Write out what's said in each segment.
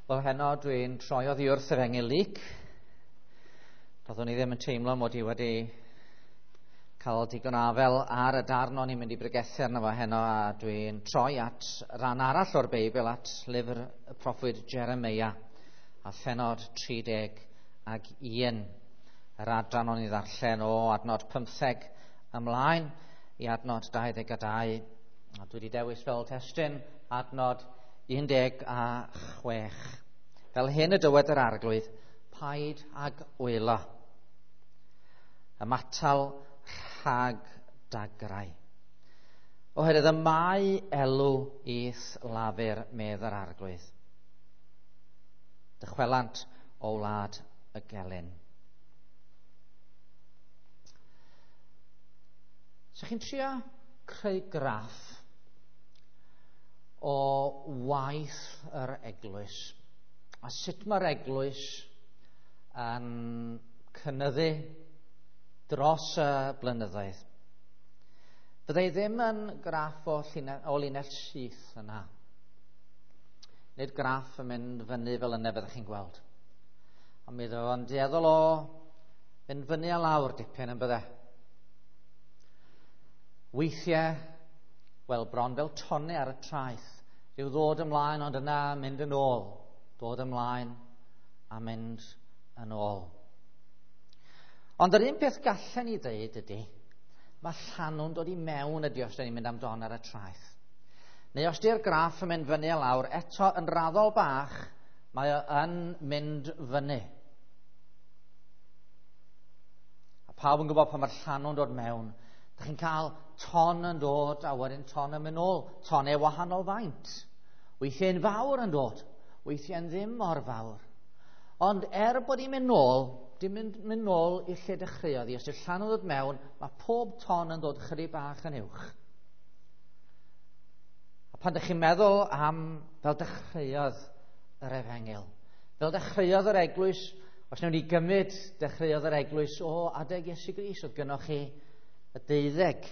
Wel, heno dwi'n troi oddi wrth yr Efengyl Luc. Doeddwn i ddim yn teimlo mod i wedi cael digon afel ar y darn o'n i'n mynd i bregethu arno fo heno, a dwi'n troi at ran arall o'r Beibl, at lyfr y proffwyd Jeremeia, a phenod 31, yr adran o'n i ddarllen o adnod 15 ymlaen i adnod 22. A dwi wedi dewis fel testun adnod 16. Fel hyn y dywed yr Arglwydd, paid ag wylo. Ymatal rhag dagrau. Oherwydd y mae elw i'th lafur, medd yr Arglwydd. Dychwelant o wlad y gelyn. So chi'n trio creu graff o waith yr eglwys a sut mae'r eglwys yn cynyddu dros y blynyddoedd. Fyddai ddim yn graff o linell syth yna. Nid graff yn mynd fyny fel yna fyddwch chi'n gweld. Ond mi fydd o'n dueddol o fynd fyny a lawr dipyn yn bydde. Weithiau, wel, bron fel tonnau ar y traeth. Rhyw ddod ymlaen ond yna mynd yn ôl. Dod ymlaen a mynd yn ôl. Ond yr un peth gallen ni ddeud ydy, mae llanw'n dod i mewn ydy os da ni'n mynd am don ar y traeth. Neu os di'r graff yn mynd fyny a lawr, eto yn raddol bach, mae o yn mynd fyny. A pawb yn gwybod pan mae'r llanw'n dod mewn, da chi'n cael ton yn dod a wedyn ton yn mynd nôl. Tonau wahanol faint. Weithiau'n fawr yn dod, weithiau'n ddim mor fawr. Ond er bod hi'n mynd nôl, dim mynd nôl i'r lle dechreuodd hi. Os yw'r llanw'n dod mewn, mae pob ton yn dod chydig bach yn uwch. A pan ydych chi'n meddwl am fel dechreuodd yr Efengyl, fel dechreuodd yr eglwys, os wnawn ni gymryd dechreuodd yr eglwys o adeg Iesu Grist, oedd gynnoch chi y 12,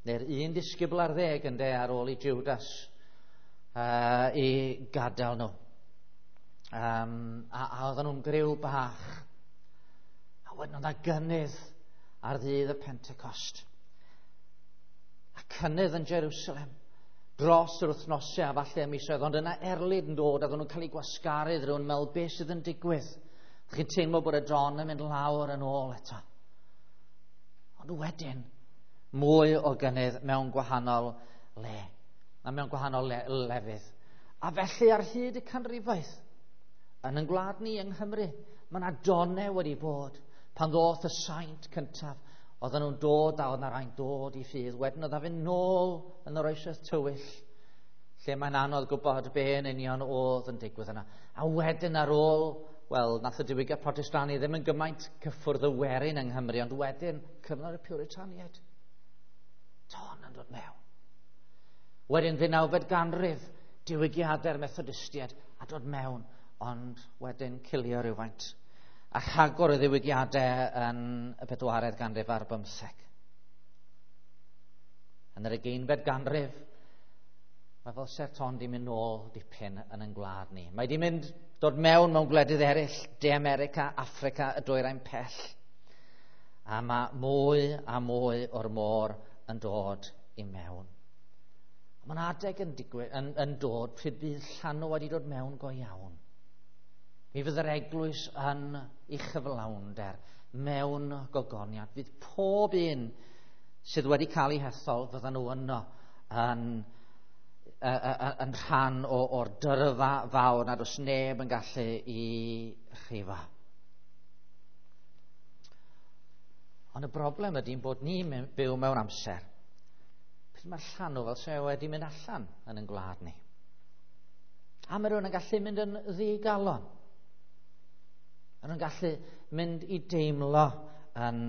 neu'r un disgybl ar 10 ynde, ar ôl i Judas i gadael nhw. A oedden nhw'n griw bach. A wedyn oedd 'na gynnydd ar ddydd y Pentecost. A cynnydd yn Jerusalem dros yr wythnosau a falle y misoedd, ond yna erlid yn dod a oedden nhw'n cael eu gwasgaru, rhywun meddwl beth sydd yn digwydd. Chi'n teimlo bod y don yn mynd lawr yn ôl eto. Ond wedyn, mwy o gynnydd mewn gwahanol le, a mewn gwahanol lefydd. A felly ar hyd y canrifoedd, yn ein gwlad ni yng Nghymru, mae yna donau wedi bod. Pan ddoth y saint cyntaf, oedden nhw'n dod a oedd yna rai'n dod i ffydd. Wedyn oedd fynd nôl yn yr oesoedd tywyll, lle mae'n anodd gwybod be yn union oedd yn digwydd yna. A wedyn ar ôl, wel, nath y diwygiad Protestani ddim yn gymaint cyffwrdd y werin yng Nghymru, ond wedyn cyfnod y Puritaniaid. Ton yn dod mewn. Wedyn 19fed ganrif, diwygiadau'r Methodistiaid a dod mewn, ond wedyn cilio rhywfaint. A rhagor o ddiwygiadau yn y 4edd ganrif ar 15. Yn yr 20fed ganrif, mae fel se'r ton di mynd nôl dipyn yn ein gwlad ni. Mae di mynd dod mewn gwledydd eraill, De America, Affrica, y Dwyrain Pell. A mae mwy a mwy o'r môr yn dod i mewn. Mae'n adeg yn digwydd, yn dod pryd bydd llanw wedi dod mewn go iawn. Mi fydd yr eglwys yn ei chyflawnder mewn gogoniant. Fydd pob un sydd wedi cael ei hethol, fyddan nhw yno yn rhan o'r dyrfa fawr nad oes neb yn gallu i rhifo. Ond y broblem ydy bod ni'n byw mewn amser pryd mae'r llanw fel sydd wedi mynd allan yn ein gwlad ni. A mae rhywun yn gallu mynd yn ddigalon. Mae nhw'n gallu mynd i deimlo yn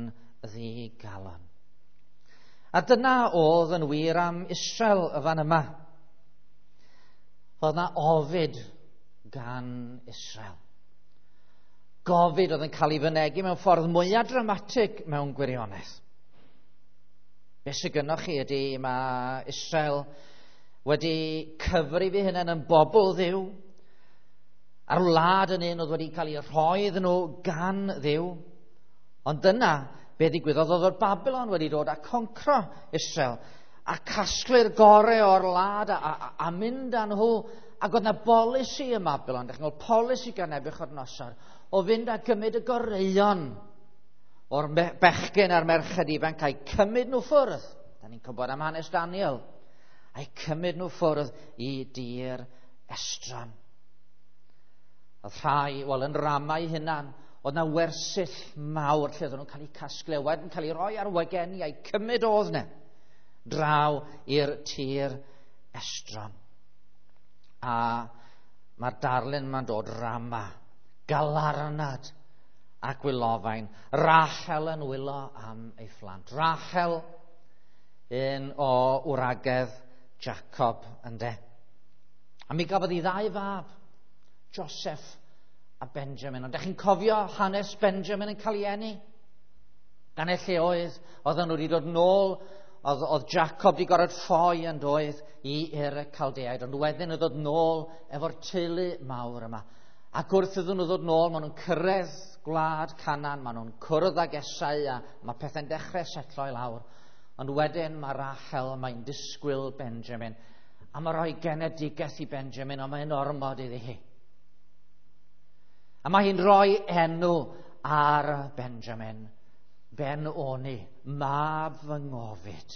ddigalon. A dyna oedd yn wir am Israel y fan yma. Oedd yna ofid gan Israel. Gofid oedd yn cael ei fynegi mewn ffordd mwyaf dramatig mewn gwirionedd. Be sydd gynnoch chi ydy mae Israel wedi cyfrif ei hunain yn bobl Dduw. A'r wlad yn un oedd wedi cael ei rhoi iddyn nhw gan Dduw. Ond dyna be ddigwyddodd, oedd o'r Babylon wedi dod a concro Israel a casglu'r gorau o'r wlad a mynd â nhw. Ac oedd 'na bolisi ym Babylon, dach chi'n gweld, polisi gan Nebuchadnezzar, o fynd a gymryd y goreuon o'r bechgyn a'r merched ifanc a'i cymryd nhw ffwrdd. Da ni'n gwybod am hanes Daniel. A'i cymryd nhw ffwrdd i dir estron. Oedd rhai, wel, yn Ramau hunan, oedd na wersyll mawr lle oedden nhw'n cael eu casglu, a wedyn cael eu rhoi ar wageni a'i cymryd oedd 'na draw i'r tir estron. A mae'r darlun yma'n dod Rama, galarnad ac wylofain. Rachel yn wylo am ei phlant. Rachel, un o wragedd Jacob, ynde. A mi gafodd hi ddau fab, Joseph a Benjamin. Ond ydych chi'n cofio hanes Benjamin yn cael ei eni? Gan y lle oedd, oedden nhw wedi dod nôl, oedd Jacob wedi gorfod ffoi yn doedd i i'r Caldeaid, ond wedyn oedd dod nôl efo'r teulu mawr yma. Ac wrth iddyn nhw ddod nôl, maen nhw'n cyrraedd gwlad Canaan, maen nhw'n cwrdd ag Esau, a mae pethau'n dechrau setlo i lawr. Ond wedyn mae Rachel, mae'n disgwyl Benjamin, a mae rhoi genedigaeth i Benjamin, ond mae'n ormod iddi hi. A mae hi'n rhoi enw ar Benjamin, Ben-Oni, mab fy ngofid.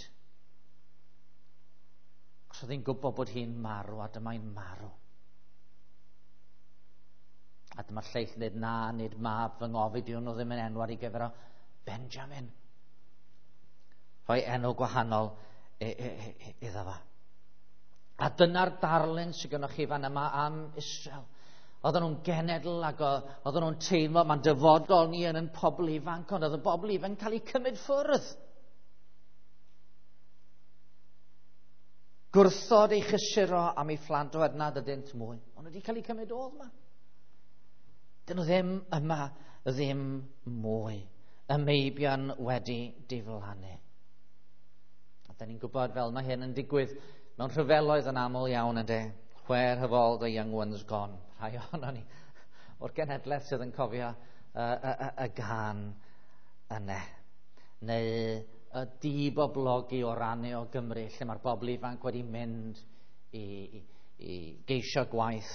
Os oedd hi'n gwybod bod hi'n marw, a dyma'n marw. A dyma'r lleill yn dweud, na, nid mab fy ngofid yw nhw ddim yn enw ar ei gyfer o, Benjamin. Rhoi enw gwahanol iddo fo. A dyna'r darlun sydd gennych chi fan yma am Israel. Oedden nhw'n genedl ac oedden nhw'n teimlo, mae'n dyfodol ni yn pobl ifanc, ond oedd y bobl ifanc yn cael eu cymryd ffwrdd. Gwrthod ei chysuro am ei phlant oherwydd nad ydynt mwy. Ond wedi cael eu cymryd oedd yma. Dyn nhw ddim yma, ddim mwy. Y meibion wedi diflannu. A da ni'n gwybod fel mae hyn yn digwydd mewn rhyfeloedd yn aml iawn, yndê. Where have all the young ones gone? Rhai ohono ni o'r genhedlaeth sydd yn cofio y gân yna. Neu y diboblogi o rannau o Gymru, lle mae'r bobl ifanc wedi mynd i geisio gwaith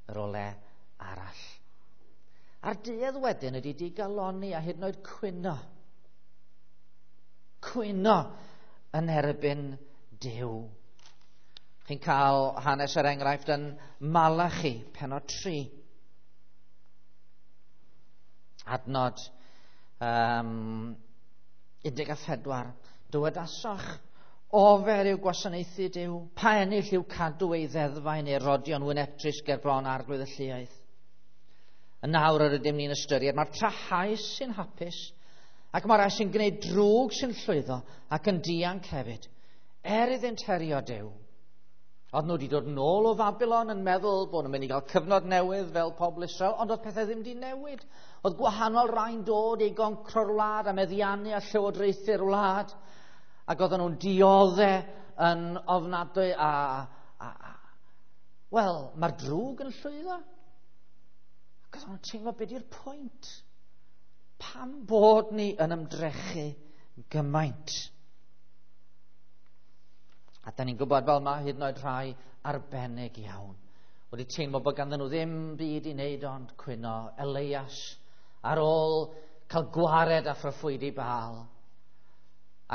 yr ole arall. A'r duedd wedyn ydy digalonni a hyd yn oed cwyno. Cwyno yn erbyn Duw. Chi'n cael hanes er enghraifft yn Malachi, pennod 3. Adnod 14. Dywedasoch, ofer yw gwasanaethu Duw, pa ennill yw cadw ei ddeddfau neu rodio'n wynebtrist ger bron arglwydd y lluoedd. Yn nawr yr ydym ni'n ystyried, mae'r trahaus sy'n hapus, ac mae'r rhai sy'n gwneud drwg sy'n llwyddo ac yn dianc hefyd, er iddynt herio Duw. Oedd nhw wedi dod nôl o Babylon yn meddwl bod nhw'n mynd i gael cyfnod newydd fel pobl Israel, ond oedd pethau ddim wedi newid. Oedd gwahanol rai'n dod i goncro'r wlad a meddiannu a llywodraethu'r wlad, ac oedden nhw'n diodde yn ofnadwy a wel, mae'r drwg yn llwyddo. Ac oedden nhw'n teimlo, beth yw'r pwynt? Pam bod ni yn ymdrechu gymaint? A da ni'n gwybod fel mae hyd yn oed rhai arbennig iawn wedi teimlo bod ganddyn nhw ddim byd i wneud ond cwyno. Elias, ar ôl cael gwared a phroffwydi Baal,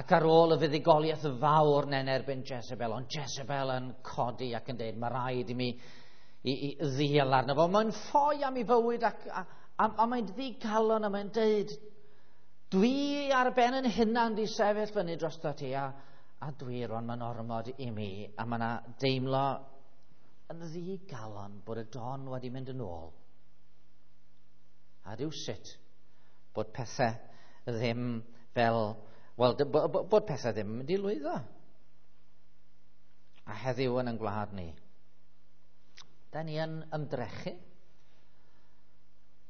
ac ar ôl y fuddugoliaeth fawr yn erbyn Jezebel, ond Jezebel yn codi ac yn dweud, mae rhaid i mi i ddial arno fo. Mae'n ffoi am ei fywyd ac a mae'n ddigalon a mae'n dweud, dwi ar ben yn hunan di sefyll fyny drosto ti, a dwi rwan mae'n ormod i mi, a mae yna deimlo yn ddigalon bod y don wedi mynd yn ôl. A rhywsut bod pethau ddim fel, wel, bod pethau ddim yn mynd i lwyddo. A heddiw yn ein gwlad ni, da ni yn ymdrechu,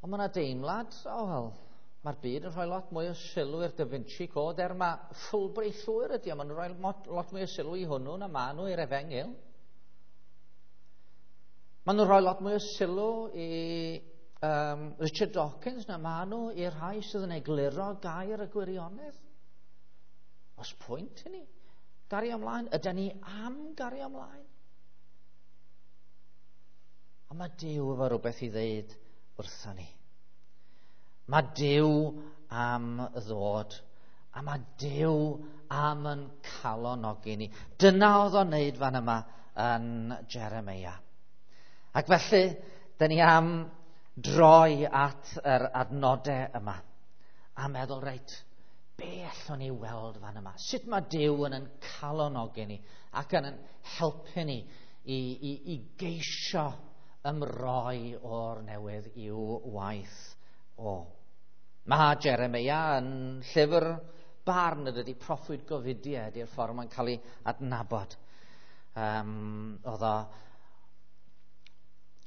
ond mae yna deimlad, o wel, mae'r byd yn rhoi lot mwy o sylw i'r Da Vinci Code, er mae ffwlbri llwyr ydy, ond maen nhw'n rhoi lot mwy o sylw i hwnnw na maen nhw i'r efengyl. Maen nhw'n rhoi lot mwy o sylw i Richard Dawkins na maen nhw i'r rhai sydd yn egluro gair y gwirionedd. Oes pwynt i ni gario ymlaen? Ydy ni am gario ymlaen? A mae Duw efo rhywbeth i ddeud wrthon ni. Mae Duw am ddod, a mae Duw am yn calonogi ni. Dyna oedd o'n neud fan yma yn Jeremia. Ac felly, dyn ni am droi at yr adnodau yma a meddwl, reit, be allwn ni weld fan yma? Sut mae Duw yn calonogi ni ac yn helpu ni i geisio ymroi o'r newydd i'w waith o? Mae Jeremia yn llyfr barn, ydy proffwyd gofidiau ydy'r ffordd mae'n cael ei adnabod.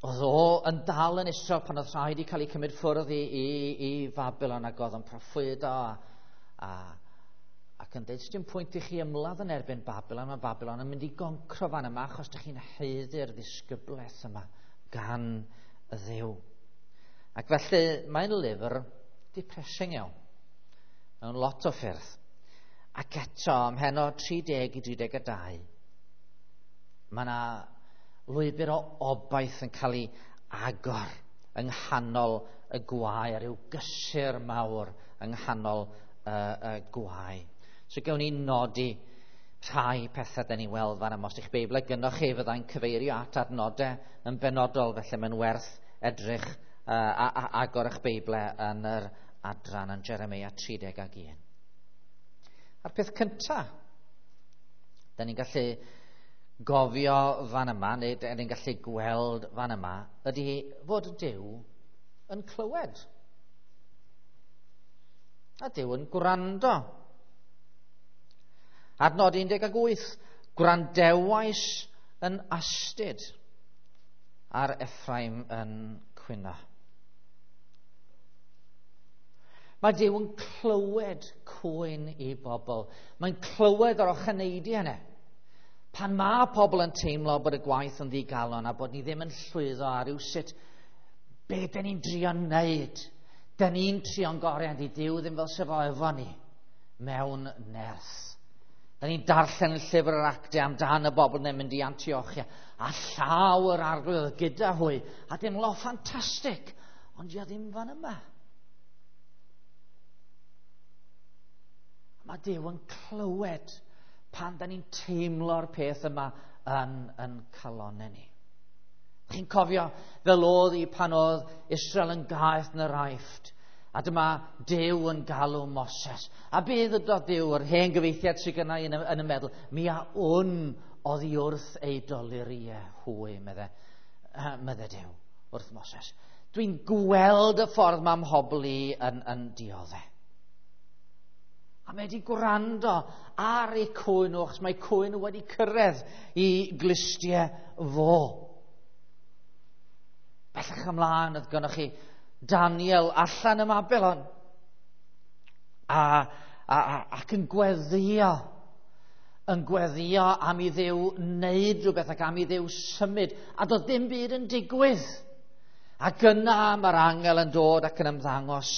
Oedd o yn dal yn Israel pan oedd rhaid i cael ei cymryd ffwrdd i Fabilon, ac oedd yn proffwydo ac yn dweud, dim pwynt i chi ymladd yn erbyn Babilon, mae Babilon yn mynd i goncro fan yma achos ydych chi'n haeddu'r ddisgyblaeth yma gan y Dduw. Ac felly mae'n lyfr depressing iawn, mewn lot o ffyrdd. Ac eto, ym mhennod 30 i 32, mae yna lwybr o obaith yn cael ei agor yng nghanol y gwae, a rhyw gysur mawr yng nghanol y gwae. So gawn ni nodi rhai pethau da ni'n weld fan yma. Os ydych Beibl gynnoch chi, fyddai'n cyfeirio at adnodau yn benodol, felly mae'n werth edrych a agor eich Beibl yn yr adran yn Jeremia 31. A'r peth cyntaf, da ni'n gallu gofio fan yma, neu da ni'n gallu gweld fan yma, ydy fod Duw yn clywed. A Duw yn gwrando. Adnod 18, gwrandewais yn astud ar Ephraim yn cwyno. Mae Duw yn clywed cwyn i bobl. Mae'n clywed yr ocheneidiau yna. Pan mae pobl yn teimlo bod y gwaith yn ddigalon a bod ni ddim yn llwyddo ar rywsut, be dyn ni'n drio wneud? Dyn ni'n trio'n gorau, ond i Duw ddim fel sef o efo ni mewn nerth. Dyn ni'n darllen y llyfr yr Actau amdan y bobl yn mynd i Antiochia a llaw yr Arglwydd gyda hwy, a dim lo ffantastig, ond ia ddim fan yma. Mae Duw yn clywed pan da ni'n teimlo'r peth yma yn calonau ni. Chi'n cofio fel oedd hi pan oedd Israel yn gaeth yn yr Aifft, a dyma Duw yn galw Moses. A be ddydodd Duw, yr hen gyfeithiad sydd gynna i yn y meddwl, mi a wn oddi wrth ei doluriau hwy, medde Duw wrth Moses. Dwi'n gweld y ffordd mae mhobl i yn dioddef. A mae wedi gwrando ar eu cwyn nhw, achos mae cwyn nhw wedi cyrraedd i glustiau fo. Bellach ymlaen, oedd gynnoch chi Daniel allan ym Mabilon ac yn gweddio am i Dduw wneud rhywbeth ac am i Dduw symud, a doedd dim byd yn digwydd. Ac yna mae'r angel yn dod ac yn ymddangos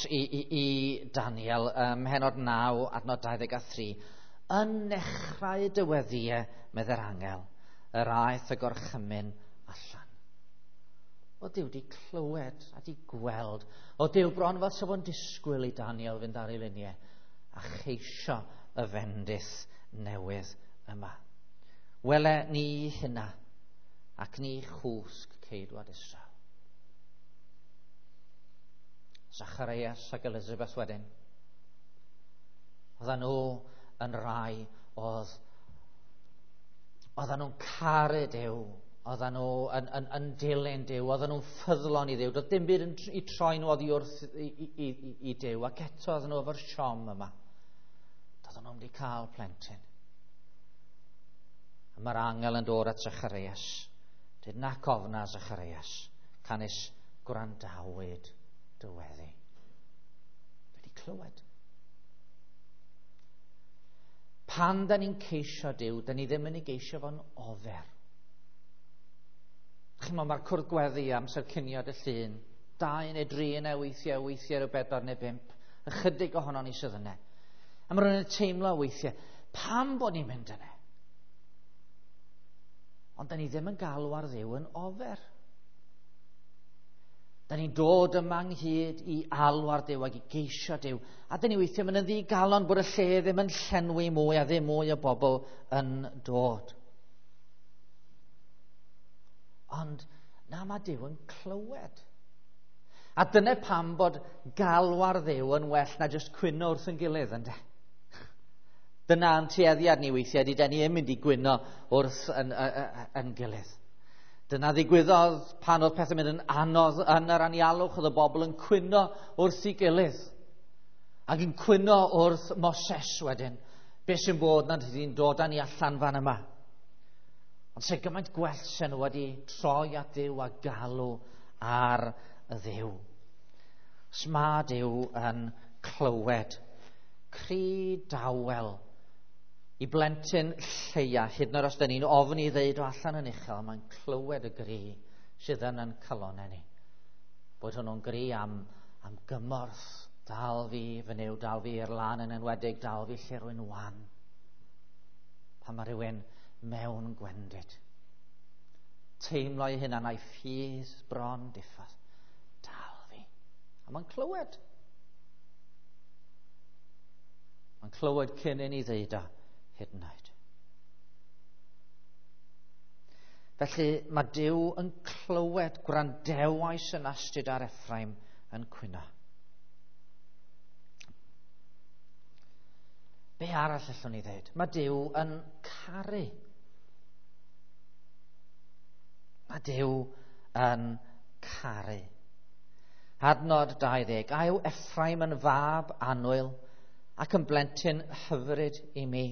i Daniel ym mhennod 9, adnod 23. Yn nechrau dyweddiau, medde'r angel, yr aeth y gorchymyn allan. O Duw di clywed a di gweld. O Duw bron fel sef o'n disgwyl i Daniel fynd ar ei luniau a cheisio y fendith newydd yma. Wele ni hynna ac ni chwsg ceidwad Israel. Zacharias ac Elizabeth wedyn. Oedden nhw yn rai oedden nhw'n caru Duw, oedden nhw yn dilyn Duw, oedden nhw'n ffyddlon i Dduw. Doedd dim byd i troi nhw oddi wrth i Duw, ac eto oedden nhw efo'r siom yma. Doedden nhw'n wedi cael plentyn. A mae'r angel yn dod at Zacharias. Dyd nac ofna Zacharias, canys gwrandawyd dyweddi. Wedi clywed. Pan da ni'n ceisio Duw, da ni ddim yn ei geisio fo'n ofer. Chimod, mae'r cwrdd gweddi amser cinio dy llun. 2 neu 3 neu weithiau, weithiau rhyw 4 neu 5. Ychydig ohono ni sydd yna. A mae rhywun yn teimlo weithiau, pam bod ni'n mynd yna? Ond da ni ddim yn galw ar Dduw yn ofer. Da ni'n dod yma ynghyd i alw ar Duw ac i geisio Duw. A da ni weithiau mynd yn ddigalon bod y lle ddim yn llenwi mwy a ddim mwy o bobl yn dod. Ond na, mae Duw yn clywed. A dyna pam bod galw ar Dduw yn well na jyst cwyno wrth yn gilydd, ynde? Dyna'n tueddiad ni weithiau, di da ni yn mynd i gwyno wrth yn gilydd. Dyna ddigwyddodd pan oedd pethau'n mynd yn anodd yn yr anialwch, oedd y bobl yn cwyno wrth ei gilydd. Ac yn cwyno wrth Moses wedyn. Be sy'n bod nad ydy'n dod â ni allan fan yma? Ond se gymaint gwell sy'n nhw wedi troi at Dduw a galw ar y Dduw. Sma Duw yn clywed. Cri dawel i blentyn lleia, hyd yn oed os da ni'n ofni i ddeud o allan yn uchel, mae'n clywed y gri sydd yn yn calonau ni. Bod hwnnw'n gri am gymorth, dal fi fy Nuw, dal fi i'r lan yn enwedig, dal fi lle rwy'n wan. Pan mae rhywun mewn gwendid. Teimlo ei hunan a'i ffydd bron diffodd. Dal fi. A mae'n clywed. Mae'n clywed cyn i ni ddeud o hyd yn oed. Felly mae Duw yn clywed, gwrandewais yn astud ar Ephraim yn cwyno. Be arall allwn ni ddeud? Mae Duw yn caru. Mae Duw yn caru. Adnod 20. A yw Ephraim yn fab annwyl ac yn blentyn hyfryd i mi?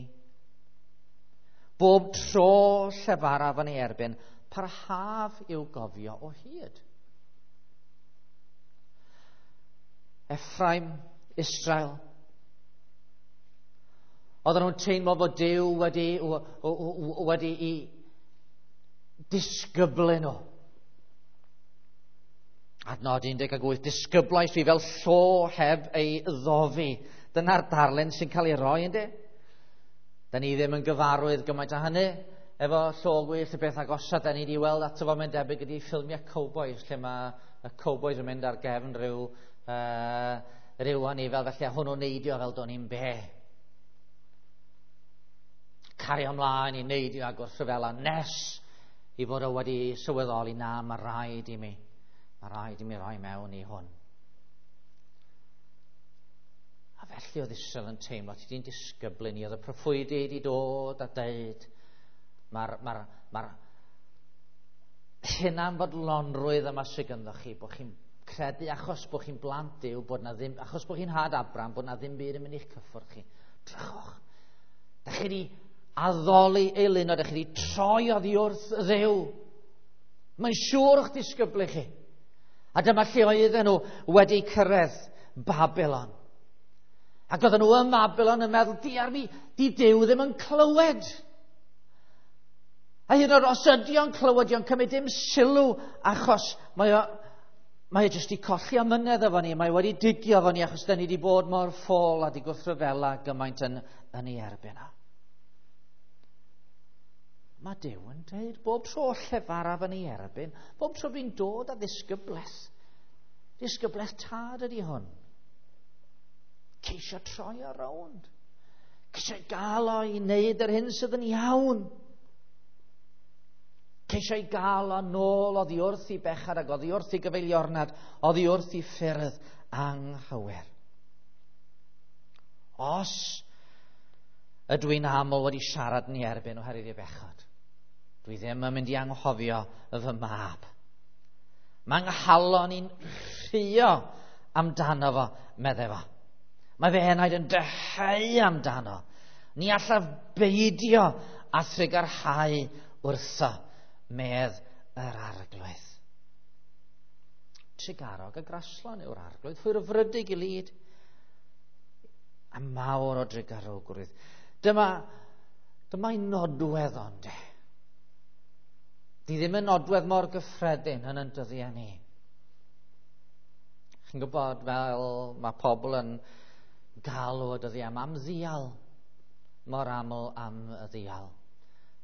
Bob tro llefaraf yn ei erbyn, parhaf i'w gofio o hyd. Ephraim, Israel. Oedden nhw'n teimlo fod Duw wedi i disgyblu nhw. Adnod 18, disgyblais fi fel llo heb ei ddofi. Dyna'r darlun sy'n cael ei roi, ynddi? Da ni ddim yn gyfarwydd gymaint â hynny. Efo llo gwyllt, y beth agosa da ni wedi weld ato fo, mae'n debyg ydi ffilmiau cowboys, lle mae y cowboys yn mynd ar gefn rhyw anifel, felly a hwnnw'n neidio fel do'n i'n be. Cario ymlaen i neidio a gwrthryfela nes i fod o wedi sylweddoli, na, mae rhaid i mi roi mewn i hwn. A felly oedd Israel yn teimlo, ti di'n disgyblu ni, oedd y proffwydi wedi dod a deud, mae'r hunanfodlonrwydd yma sydd ganddo chi, bod chi'n credu achos bod chi'n blant Duw, bod na ddim, achos bod chi'n had Abraham, bod na ddim byd yn mynd i'ch cyffwrdd chi. Drychwch, da chi wedi addoli eilunod, da chi wedi troi oddi wrth Dduw. Mae'n siŵr o'ch disgyblu chi. A dyma lle oedden nhw wedi cyrraedd Babylon. Ac oedden nhw ym Babylon yn meddwl, diar fi, di Duw ddim yn clywed. A hyd yn oed os ydy o'n clywed, o'n cymryd dim sylw, achos mae o jyst i colli amynedd efo ni, mae wedi digio efo ni, achos da ni wedi bod mor ffôl a di gwrthryfela gymaint yn ei erbyn o. Mae Duw yn dweud, bob tro llefaraf yn ei erbyn, bob tro fi'n dod â ddisgyblaeth. Disgyblaeth tad ydy hwn. Ceisio troi o rownd. Ceisio gael o i wneud yr hyn sydd yn iawn. Ceisio i gael o nôl oddi wrth i bechad ac oddi wrth i gyfeiliornad, oddi wrth i ffyrdd anghywir. Os ydw i'n aml wedi siarad yn ei erbyn oherwydd ei bechod, dwi ddim yn mynd i anghofio fy mab. Mae nghalon i'n rhuo amdano fo, meddai fo. Mae fy enaid yn dyheu amdano. Ni allaf beidio a thrugarhau wrtho, medd yr Arglwydd. Trugarog a graslon yw'r Arglwydd, hwyrfrydig i lid, a mawr o drugarogrwydd. Dyma Dyma'i nodwedd ond e. Di ddim yn nodwedd mor gyffredin yn dyddiau ni. Chi'n gwybod fel mae pobl yn galw y dyddiau yma am ddial, mor aml am y ddial.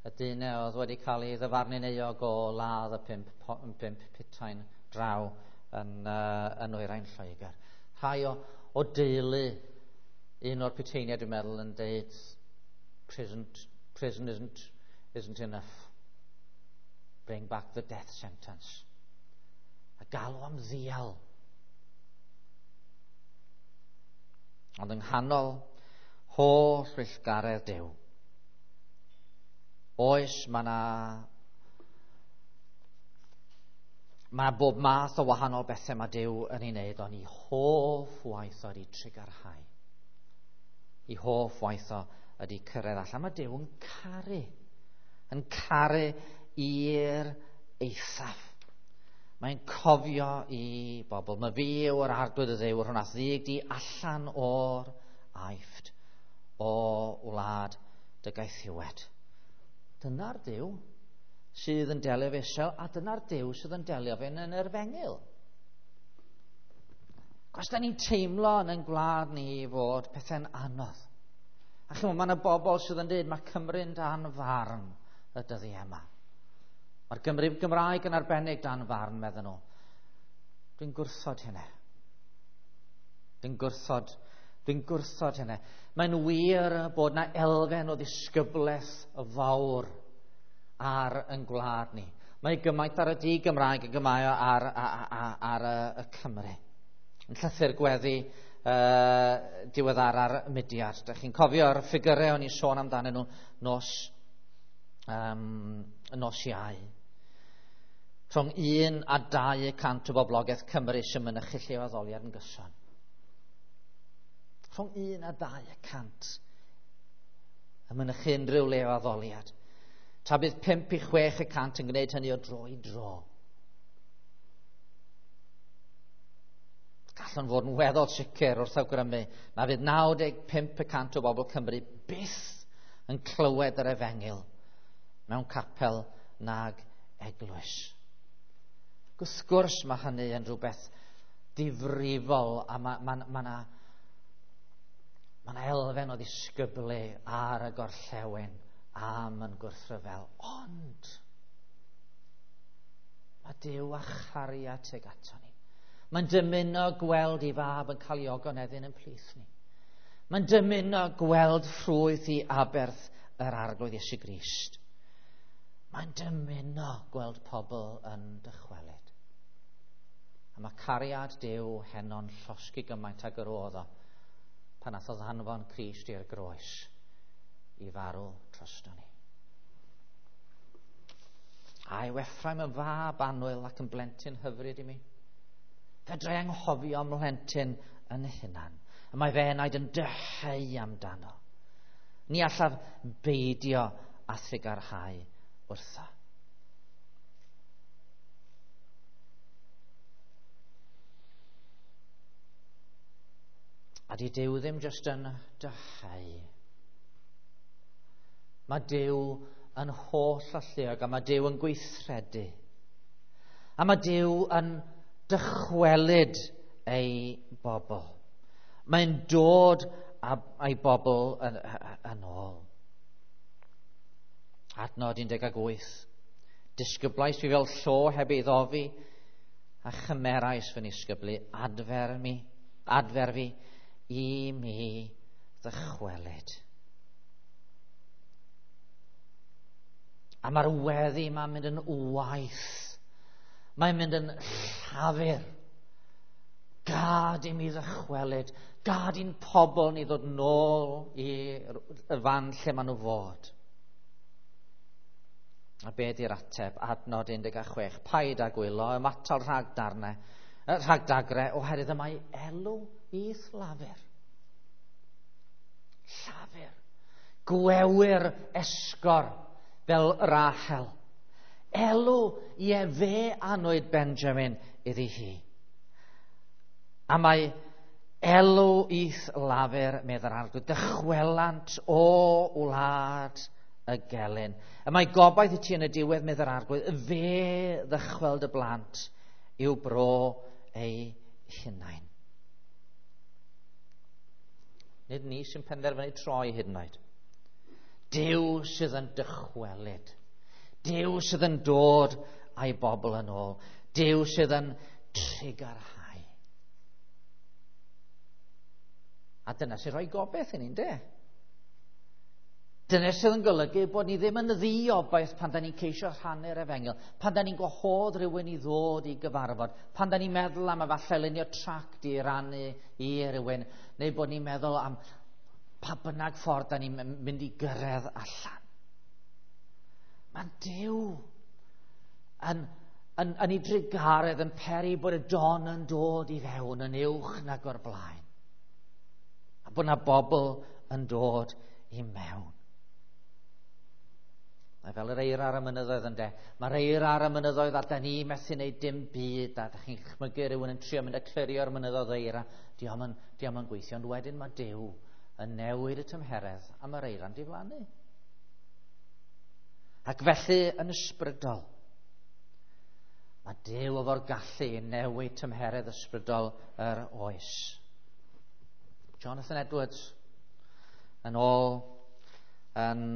Y dyn oedd wedi cael ei ddyfarnu'n euog o ladd y pump putain draw yn Nwyrain Lloegr. Rhai o deulu un o'r puteiniaid, dwi'n meddwl, yn deud prison isn't enough. Bring back the death sentence. A galw am ddial. Ond yng nghanol holl weithgaredd Duw, oes, mae bob math o wahanol bethau mae Duw yn ei wneud, ond ei hoff waith o ydy trugarhau. Ei hoff waith o ydy cyrraedd allan. Mae Duw yn caru i'r eithaf. Mae'n cofio i bobl. Mae fi yw'r Arglwydd y Dduw, yr hwn a ddig di allan o'r Aifft, o wlad dy gaethiwed. Dyna'r Duw sydd yn delio efo Israel, a dyna'r Duw sydd yn delio fe yn yr Efengyl. Os da ni'n teimlo yn ein gwlad ni fod pethau'n anodd. A chymod, mae yna bobl sydd yn dweud mae Cymru'n dan farn y dyddiau yma. Mae'r Gymru Gymraeg yn arbennig dan farn, meddyn nhw. Dwi'n gwrthod hynny. Dwi'n gwrthod hynny. Mae'n wir bod yna elfen o ddisgyblaeth fawr ar yn gwlad ni. Mae gymaint ar y di Gymraeg yn gymaio ar y Cymru. Yn llythyr gweddi diweddara'r mudiad. Dych chi'n cofio'r ffigurau o'n i'n sôn amdanyn nhw nos Iau. Rhwng 1 a 2% o boblogaeth Cymru sy'n mynychu lle o addoliad yn gyson. Rhwng 1 a 2% yn mynychu unrhyw le o addoliad. Tra bydd 5 i 6% yn gwneud hynny o dro i dro. Gallwn fod yn weddol sicr wrth awgrymu na fydd 95% o bobl Cymru byth yn clywed yr efengyl mewn capel nag eglwys. Wrth gwrs mae hynny yn rhywbeth difrifol, a mae yna elfen o ddisgyblu ar y gorllewin am yn gwrthryfel. Ond mae Duw a chariad tuag ato ni. Mae'n dymuno gweld ei fab yn cael ei ogoneddyn yn plith ni. Mae'n dymuno gweld ffrwyth i aberth yr Arglwydd Iesu Grist. Mae'n dymuno gweld pobl yn dychwelyd. A mae cariad Duw heno'n llosgi gymaint ag yr oedd o pan nath o ddanfon Crist i'r groes i farw drosto ni. A yw Ephraim yn fab annwyl ac yn blentyn hyfryd i mi? Fedrai anghofio mhlentyn yn hunan. A mae fe enaid yn dyheu amdano. Ni allaf beidio a thrugarhau wrtho. A di Duw ddim jyst yn dyheu. Mae Duw yn holl alluog a mae Duw yn gweithredu. A mae Duw yn dychwelyd ei bobl. Mae'n dod â'i bobl yn ôl. Adnod 18. Disgyblais fi fel llo heb ei ddofi, a chymerais fy nisgyblu, adfer fi i mi ddychwelyd. A mae'r weddi ma'n mynd yn waith. Mae'n mynd yn llafur. Gad i mi ddychwelyd. Gad i'n pobl ni ddod nôl i'r fan lle maen nhw fod. A be di'r ateb? Adnod 16. Paid â gwylo, ymatal rhag dagre, oherwydd y mae elw i'th lafur. Llafur. Gwewyr esgor fel Rachel. Elw, ie, fe anwyd Benjamin iddi hi. A mae elw i'th lafur, medd yr Arglwydd, dychwelant o wlad y gelyn. Y mae gobaith i ti yn y diwedd, medd yr Arglwydd, fe ddychweld y blant i'w bro eu hunain. Nid ni sy'n penderfynu troi hyd yn oed. Duw sydd yn dychwelyd. Duw sydd yn dod a'i bobl yn ôl. Duw sydd yn trugarhau. A dyna sy'n rhoi gobaith i ni, de? Dyna sydd yn golygu bod ni ddim yn ddiobaith pan da ni'n ceisio rhannu'r efengyl, pan da ni'n gwahodd rhywun i ddod i gyfarfod, pan da ni'n meddwl am efallai lunio tract i rannu i rhywun, neu bod ni'n meddwl am pa bynnag ffordd da ni'n mynd i gyrraedd allan. Mae Duw yn ei drugaredd yn peri bod y don yn dod i fewn yn uwch nag o'r blaen. A bod na bobl yn dod i mewn. Mae fel yr eira ar y mynyddoedd ynde. Mae'r eira ar y mynyddoedd a da ni methu wneud dim byd, a da chi'n chmygu rhywun yn trio mynd a clirio'r mynyddoedd eira. Dio'm yn gweithio, ond wedyn mae Duw yn newid y tymheredd a mae'r eira'n diflannu. Ac felly yn ysbrydol, mae Duw efo'r gallu i newid tymheredd ysbrydol yr oes. Jonathan Edwards yn ôl yn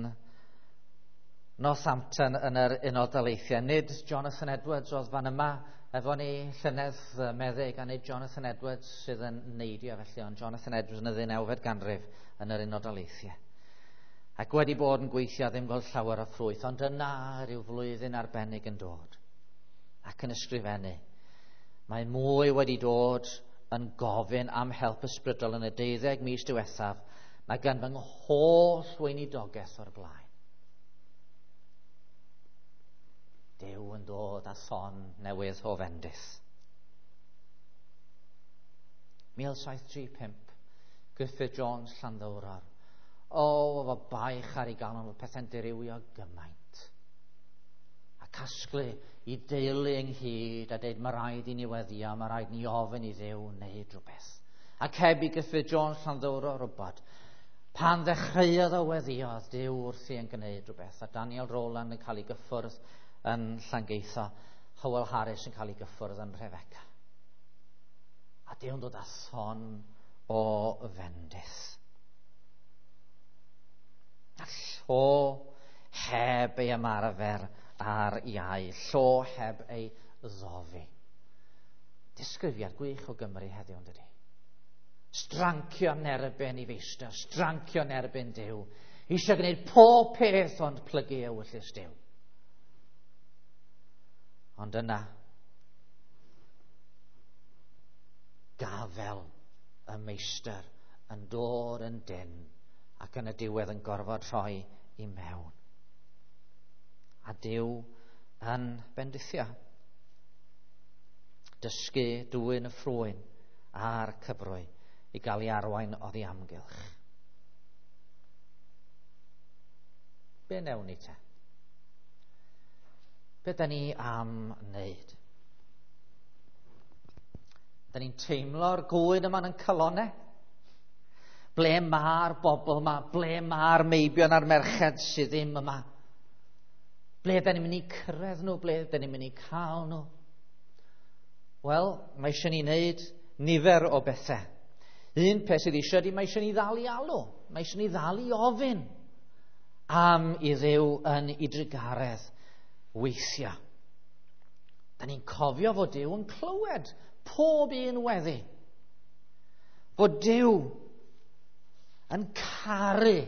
Northampton yn yr Unol Daleithiau. Nid Jonathan Edwards oedd fan yma efo ni llynedd meddyg, a nid Jonathan Edwards sydd yn neidio felly, ond Jonathan Edwards yn y 19fed ganrif yn yr Unol Daleithiau. Ac wedi bod yn gweithio ddim gweld llawer o ffrwyth, ond yna rhyw flwyddyn arbennig yn dod ac yn ysgrifennu. Mae mwy wedi dod yn gofyn am help ysbrydol yn y 12 mis diwethaf na gan fy ngholl weinidogaeth o'r blaen. Duw yn dod â thon newydd o fendith. 1735, Griffith Jones Llanddowror. O, efo baich ar ei galon, fod pethau'n dirywio gymaint. A casglu i deulu ynghyd a deud, mae rhaid i ni weddio, mae rhaid ni ofyn i Dduw wneud rhywbeth. Ac heb i Griffith Jones Llanddowror rwbod, pan ddechreuodd o weddiodd, Duw wrthi yn gwneud rhywbeth. A Daniel Rowland yn cael ei gyffwrdd yn Llangeitho, Howell Harris yn cael ei gyffwrdd yn Rhefeca. A Duw'n dod â thon o fendith. A llo heb ei ymarfer ar iau, llo heb ei ddofi. Disgrifiad gwych o Gymru heddiw, yn dydi? Strancio yn erbyn i feistr, strancio yn erbyn Duw. Eisiau gwneud pob peth ond plygu ewyllys Duw. Ond yna, gafel y meistr yn dod yn dyn ac yn y diwedd yn gorfod rhoi i mewn. A Duw yn bendithio. Dysgu dwyn y ffrwyn a'r cyfrwy i gael ei arwain oddi amgylch. Be newn ni te? Be da ni am wneud? Da ni'n teimlo'r gŵyn yma yn calonau? Ble mae'r bobl yma? Ble mae'r meibion a'r merched sydd ddim yma? Ble da ni'n mynd i cyrraedd nhw? Ble da ni'n mynd i cael nhw? Wel, mae eisiau ni wneud nifer o bethau. Un peth sydd eisiau ydy, mae eisiau ni ddal i alw. Mae eisiau ni ddal i ofyn am i Dduw yn ei drugaredd weithio. Da ni'n cofio fod Duw yn clywed pob un weddi. Fod Duw yn caru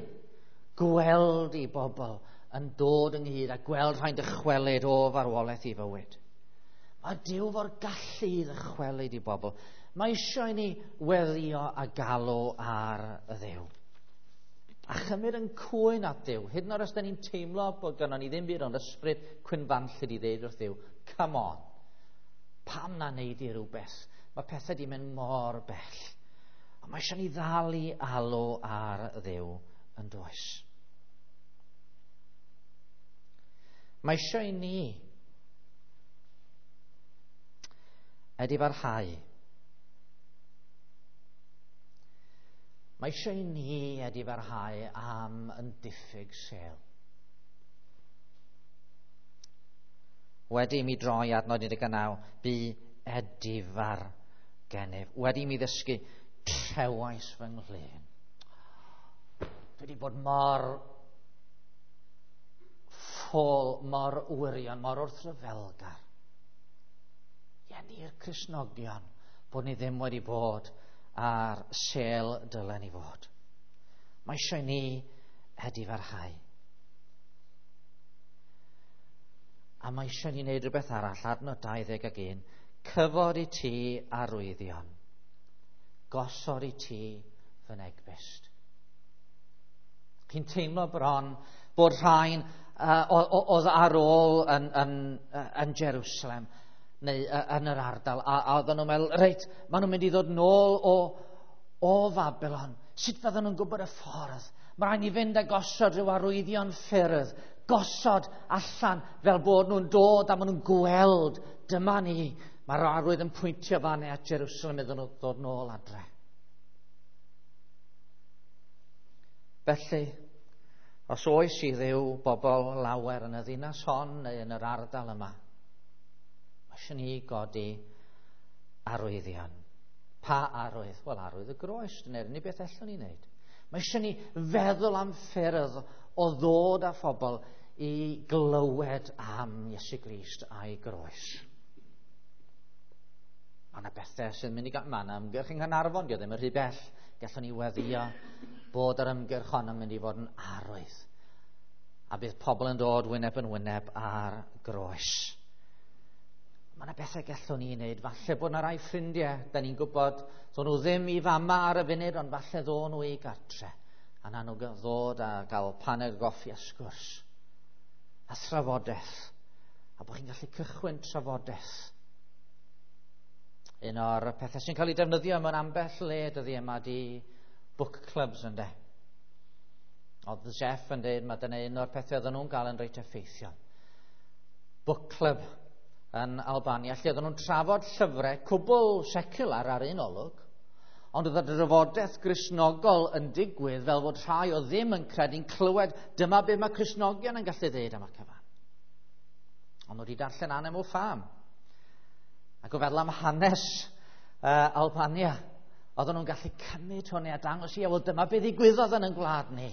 gweld i bobl yn dod ynghyd a gweld rhai'n dychwelyd o farwolaeth i fywyd. Mae Duw fo'r gallu i ddychwelyd i bobl. Mae eisiau i ni weddio a galw ar y Dduw. A chymryd yn cwyn at Dduw. Hyd yn oed os da ni'n teimlo bod gynnon ni ddim byd ond ysbryd cwynfanllyd i ddeud wrth Dduw, come on, pam na wneud i rhywbeth? Mae pethau di mynd mor bell. Ond mae eisiau ni ddal i alw ar Dduw yn does. Mae eisiau i ni edifarhau. Mae eisiau i ni edifarhau am yn diffyg sêl. Wedi i mi droi adnod 19, bu edifar gennyf. Wedi i mi ddysgu, trewais fy nghlên. Dwi wedi bod mor ffôl, mor wirion, mor wrthryfelgar. Ie, ni'r Cristnogion, bod ni ddim wedi bod ar sêl dylen ni fod. Mae eisiau ni edifarhau. A mae eisiau ni wneud rhywbeth arall, adnod 21, cyfod i ti arwyddion, gosod i ti fy negbyst. Chi'n teimlo bron bod rhain oedd ar ôl yn Jerusalem neu yn yr ardal, a oedden nhw'n meddwl, reit, maen nhw'n mynd i ddod nôl o Fabylon. Sut fydden nhw'n gwybod y ffordd? Mae rhaid ni fynd a gosod rhyw arwyddion ffyrdd, gosod allan fel bod nhw'n dod a maen nhw'n gweld, dyma ni. Mae'r arwydd yn pwyntio fan at Jerusalem iddyn nhw ddod nôl adre. Felly, os oes i Dduw bobl lawer yn y ddinas hon neu yn yr ardal yma, mae eisiau ni godi arwyddion. Pa arwydd? Wel, arwydd y groes, dyna'r unig beth allwn ni wneud. Mae eisiau ni feddwl am ffyrdd o ddod â phobl i glywed am Iesu Grist a'i groes. Mae yna bethau sy'n mynd i gael... Mae yna ymgyrch yng Nghaernarfon, dio ddim yn rhy bell. Gallwn ni weddio bod yr ymgyrch hon yn mynd i fod yn arwydd. A bydd pobl yn dod wyneb yn wyneb ar groes. Mae yna bethau gallwn ni wneud. Falle bod yna rai ffrindiau, da ni'n gwybod, ddo'n nhw ddim i fama ar y funud, ond falle ddo'n nhw i gartre. A na nhw ddod a gael paned goffi a sgwrs. A thrafodaeth. A bod chi'n gallu cychwyn trafodaeth. Un o'r pethau sy'n cael ei defnyddio mewn ambell le dyddi yma di book clubs, ynde. Oedd Jeff yn dweud, mae dyna un o'r pethau oedden nhw'n gael yn reit effeithiol. Book club yn Albania, lle oedden nhw'n trafod llyfrau cwbl secular ar un olwg, ond oedd y drafodaeth Gristnogol yn digwydd fel fod rhai o ddim yn credu'n clywed dyma be mae Cristnogion yn gallu dweud am y cyfan. Ond wedi darllen Animal Farm. Ac o feddwl am hanes Albania, oedden nhw'n gallu cymryd hwnna a dangos i, wel dyma be ddigwyddodd yn ein gwlad ni.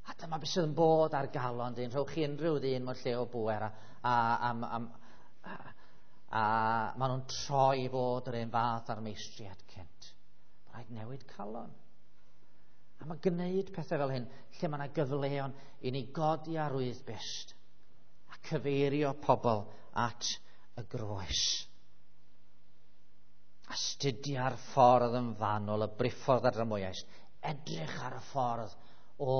A dyma beth sydd yn bod ar galon dyn. Rhowch chi unrhyw ddyn mewn lle o bŵer a maen nhw'n troi i fod yr un fath ar meistriad cynt. Mae'n rhaid newid calon. A mae gwneud pethau fel hyn, lle mae yna gyfleon i ni godi arwydd byst a cyfeirio pobl at y groes. Astudia'r ffordd yn fanwl, y briffordd ar dramwyais. Edrych ar y ffordd o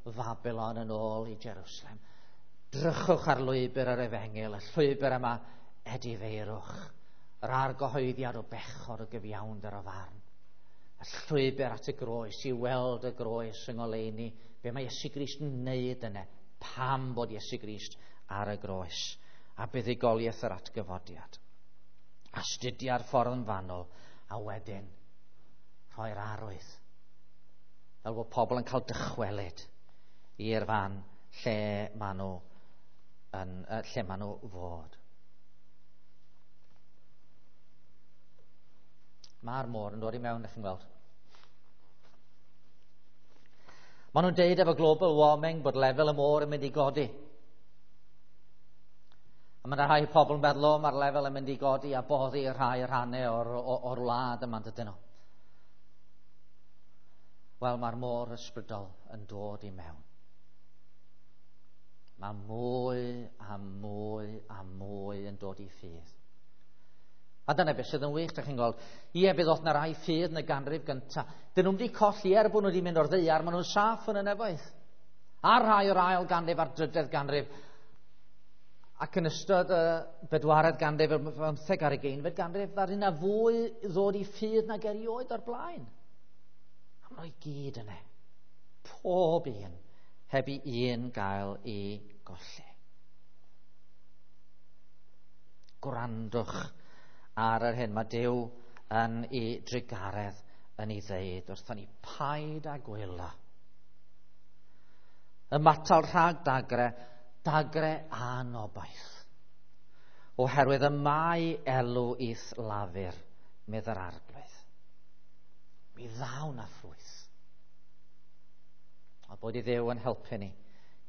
Fabylon yn ôl i Jerusalem. Drychwch ar lwybr yr efengyl, y llwybr yma edifeirwch, yr argyhoeddiad o bechod, o gyfiawnder, o farn. Y llwybr at y groes, i weld y groes yng ngoleuni, be mae Iesu Grist yn wneud yna, pam bod Iesu Grist ar y groes, a buddugoliaeth yr atgyfodiad. Astudia'r ffordd yn fanwl, a wedyn rhoi'r arwydd, fel bod pobl yn cael dychwelyd i'r fan lle maen nhw, lle maen nhw fod. Mae'r môr yn dod i mewn, ydych chi'n gweld. Maen nhw'n deud efo global warming bod lefel y môr yn mynd i godi. A mae yna rhai pobl yn meddwl, o, mae'r lefel yn mynd i godi a boddi rhai rhannau o'r wlad yma, dydyn nhw. Wel, mae'r môr ysbrydol yn dod i mewn. Mae mwy a mwy a mwy yn dod i ffydd. A dyna beth sydd yn wych, dych chi'n gweld. Ie, bydd oedd na rai ffydd yn y ganrif gyntaf. Dyn nhw'n wedi colli er bod nhw wedi mynd o'r ddaear, maen nhw'n saff yn y nefoedd. A rhai o'r ail ganrif a'r drydedd ganrif. Ac yn ystod y bedwaredd ganrif, y 15 a'r 20fed ganrif, ddaru yna fwy ddod i ffydd nag erioed o'r blaen. A maen nhw i gyd yna. Pob un, heb i un gael ei golli. Gwrandwch ar yr hyn mae Duw yn ei drugaredd yn ei ddeud wrthon ni, paid â gwylo. Ymatal rhag dagre, Dagre anobaith. Oherwydd y mae elw i'th lafur, medd yr Arglwydd. Mi ddaw na ffrwyth. A bod i Dduw yn helpu ni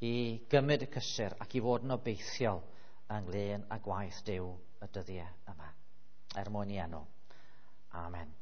i gymryd y cysur ac i fod yn obeithiol ynglyn â gwaith Duw y dyddiau yma. Er mwyn i enw. Amen.